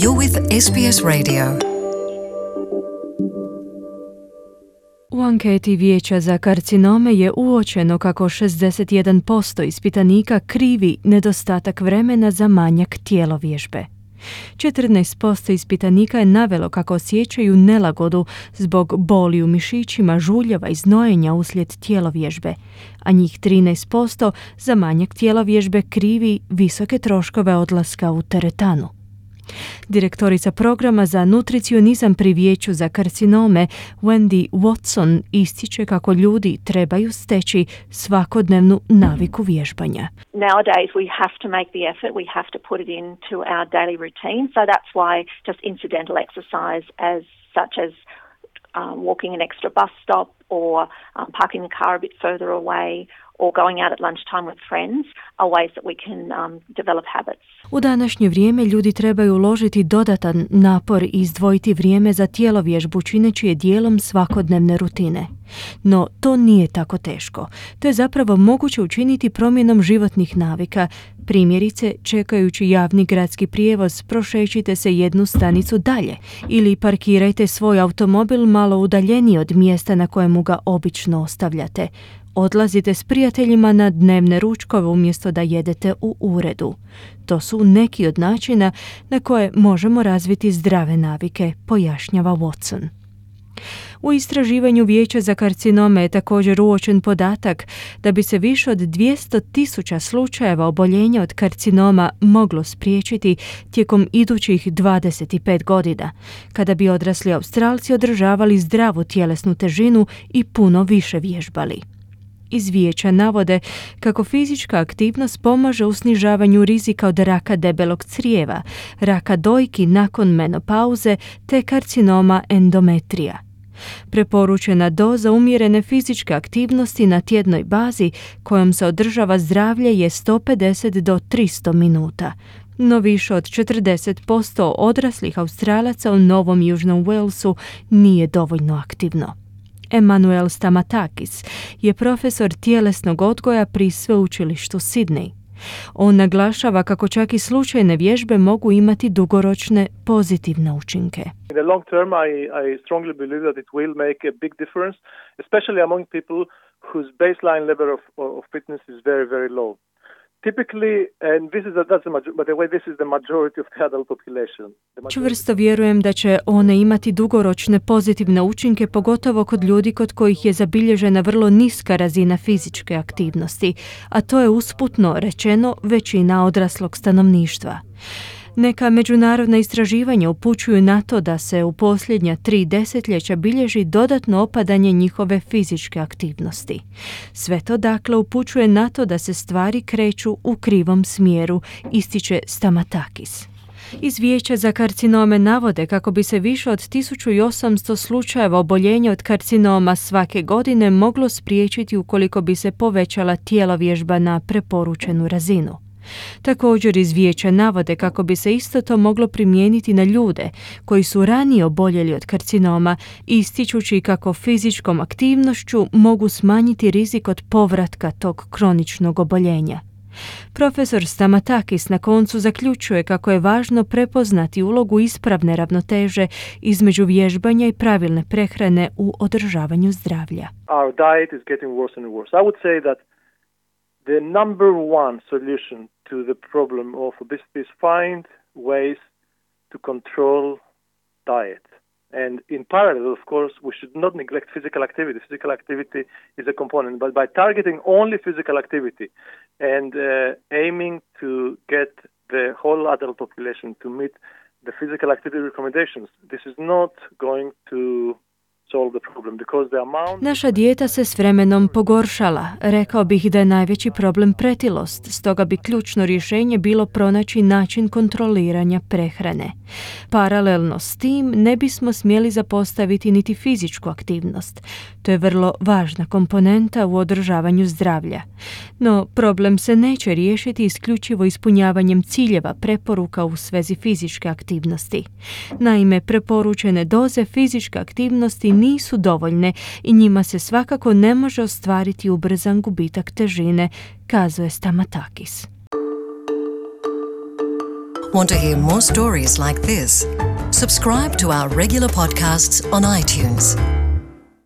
You're with SBS Radio. U anketi Vijeća za karcinome je uočeno kako 61% ispitanika krivi nedostatak vremena za manjak tjelovježbe. 14% ispitanika je navelo kako osjećaju nelagodu zbog boli u mišićima, žuljeva i znojenja uslijed tjelovježbe, a njih 13% za manjak tjelovježbe krivi visoke troškove odlaska u teretanu. Direktorica programa za nutricionizam pri Vijeću za karcinome Wendy Watson ističe kako ljudi trebaju steći svakodnevnu naviku vježbanja. Nowadays we have to make the effort, we have to put it into our daily routine, so that's why just incidental exercise such as walking an extra bus stop or parking the car a bit further away or going out at lunchtime with friends are ways that we can develop habits. U današnje vrijeme ljudi trebaju uložiti dodatan napor i izdvojiti vrijeme za tjelovježbu čineći je dijelom svakodnevne rutine. No, to nije tako teško. To je zapravo moguće učiniti promjenom životnih navika. Primjerice, čekajući javni gradski prijevoz, prošećite se jednu stanicu dalje ili parkirajte svoj automobil malo udaljeniji od mjesta na kojemu ga obično ostavljate. Odlazite s prijateljima na dnevne ručkove umjesto da jedete u uredu. To su neki od načina na koje možemo razviti zdrave navike, pojašnjava Watson. U istraživanju Vijeća za karcinome je također uočen podatak da bi se više od 200,000 slučajeva oboljenja od karcinoma moglo spriječiti tijekom idućih 25 godina, kada bi odrasli Australci održavali zdravu tjelesnu težinu i puno više vježbali. Iz Vijeća navode kako fizička aktivnost pomaže u snižavanju rizika od raka debelog crijeva, raka dojki nakon menopauze te karcinoma endometrija. Preporučena doza umjerene fizičke aktivnosti na tjednoj bazi kojom se održava zdravlje je 150 do 300 minuta. No više od 40% odraslih Australaca u Novom Južnom Walesu nije dovoljno aktivno. Emanuel Stamatakis je profesor tjelesnog odgoja pri sveučilištu Sydney. On naglašava kako čak i slučajne vježbe mogu imati dugoročne pozitivne učinke. In the long term, I strongly believe that it will make a big difference, especially among people whose baseline level of fitness is very, very low. Typically, and by the way, this is the majority of the adult population. Čvrsto vjerujem da će one imati dugoročne pozitivne učinke, pogotovo kod ljudi kod kojih je zabilježena vrlo niska razina fizičke aktivnosti, a to je usputno rečeno većina odraslog stanovništva. Neka međunarodna istraživanja upućuju na to da se u posljednja 3 desetljeća bilježi dodatno opadanje njihove fizičke aktivnosti. Sve to dakle upućuje na to da se stvari kreću u krivom smjeru, ističe Stamatakis. Iz Vijeća za karcinome navode kako bi se više od 1800 slučajeva oboljenja od karcinoma svake godine moglo spriječiti ukoliko bi se povećala tjelovježba na preporučenu razinu. Također iz Vijeća navode kako bi se isto to moglo primijeniti na ljude koji su ranije oboljeli od karcinoma, ističući kako fizičkom aktivnošću mogu smanjiti rizik od povratka tog kroničnog oboljenja. Profesor Stamatakis na koncu zaključuje kako je važno prepoznati ulogu ispravne ravnoteže između vježbanja i pravilne prehrane u održavanju zdravlja. Our diet is getting worse and worse. I would say that the number one solution to the problem of obesity is find ways to control diet. And in parallel, of course, we should not neglect physical activity. Physical activity is a component, but by targeting only physical activity and aiming to get the whole adult population to meet the physical activity recommendations, this is not going to Naša dijeta se s vremenom pogoršala. Rekao bih da je najveći problem pretilost, stoga bi ključno rješenje bilo pronaći način kontroliranja prehrane. Paralelno s tim ne bismo smjeli zapostaviti niti fizičku aktivnost. To je vrlo važna komponenta u održavanju zdravlja. No, problem se neće riješiti isključivo ispunjavanjem ciljeva preporuka u svezi fizičke aktivnosti. Naime, preporučene doze fizičke aktivnosti nisu dovoljne i njima se svakako ne može ostvariti ubrzan gubitak težine, kazuje Stamatakis. Want to hear more stories like this? Subscribe to our regular podcasts on iTunes.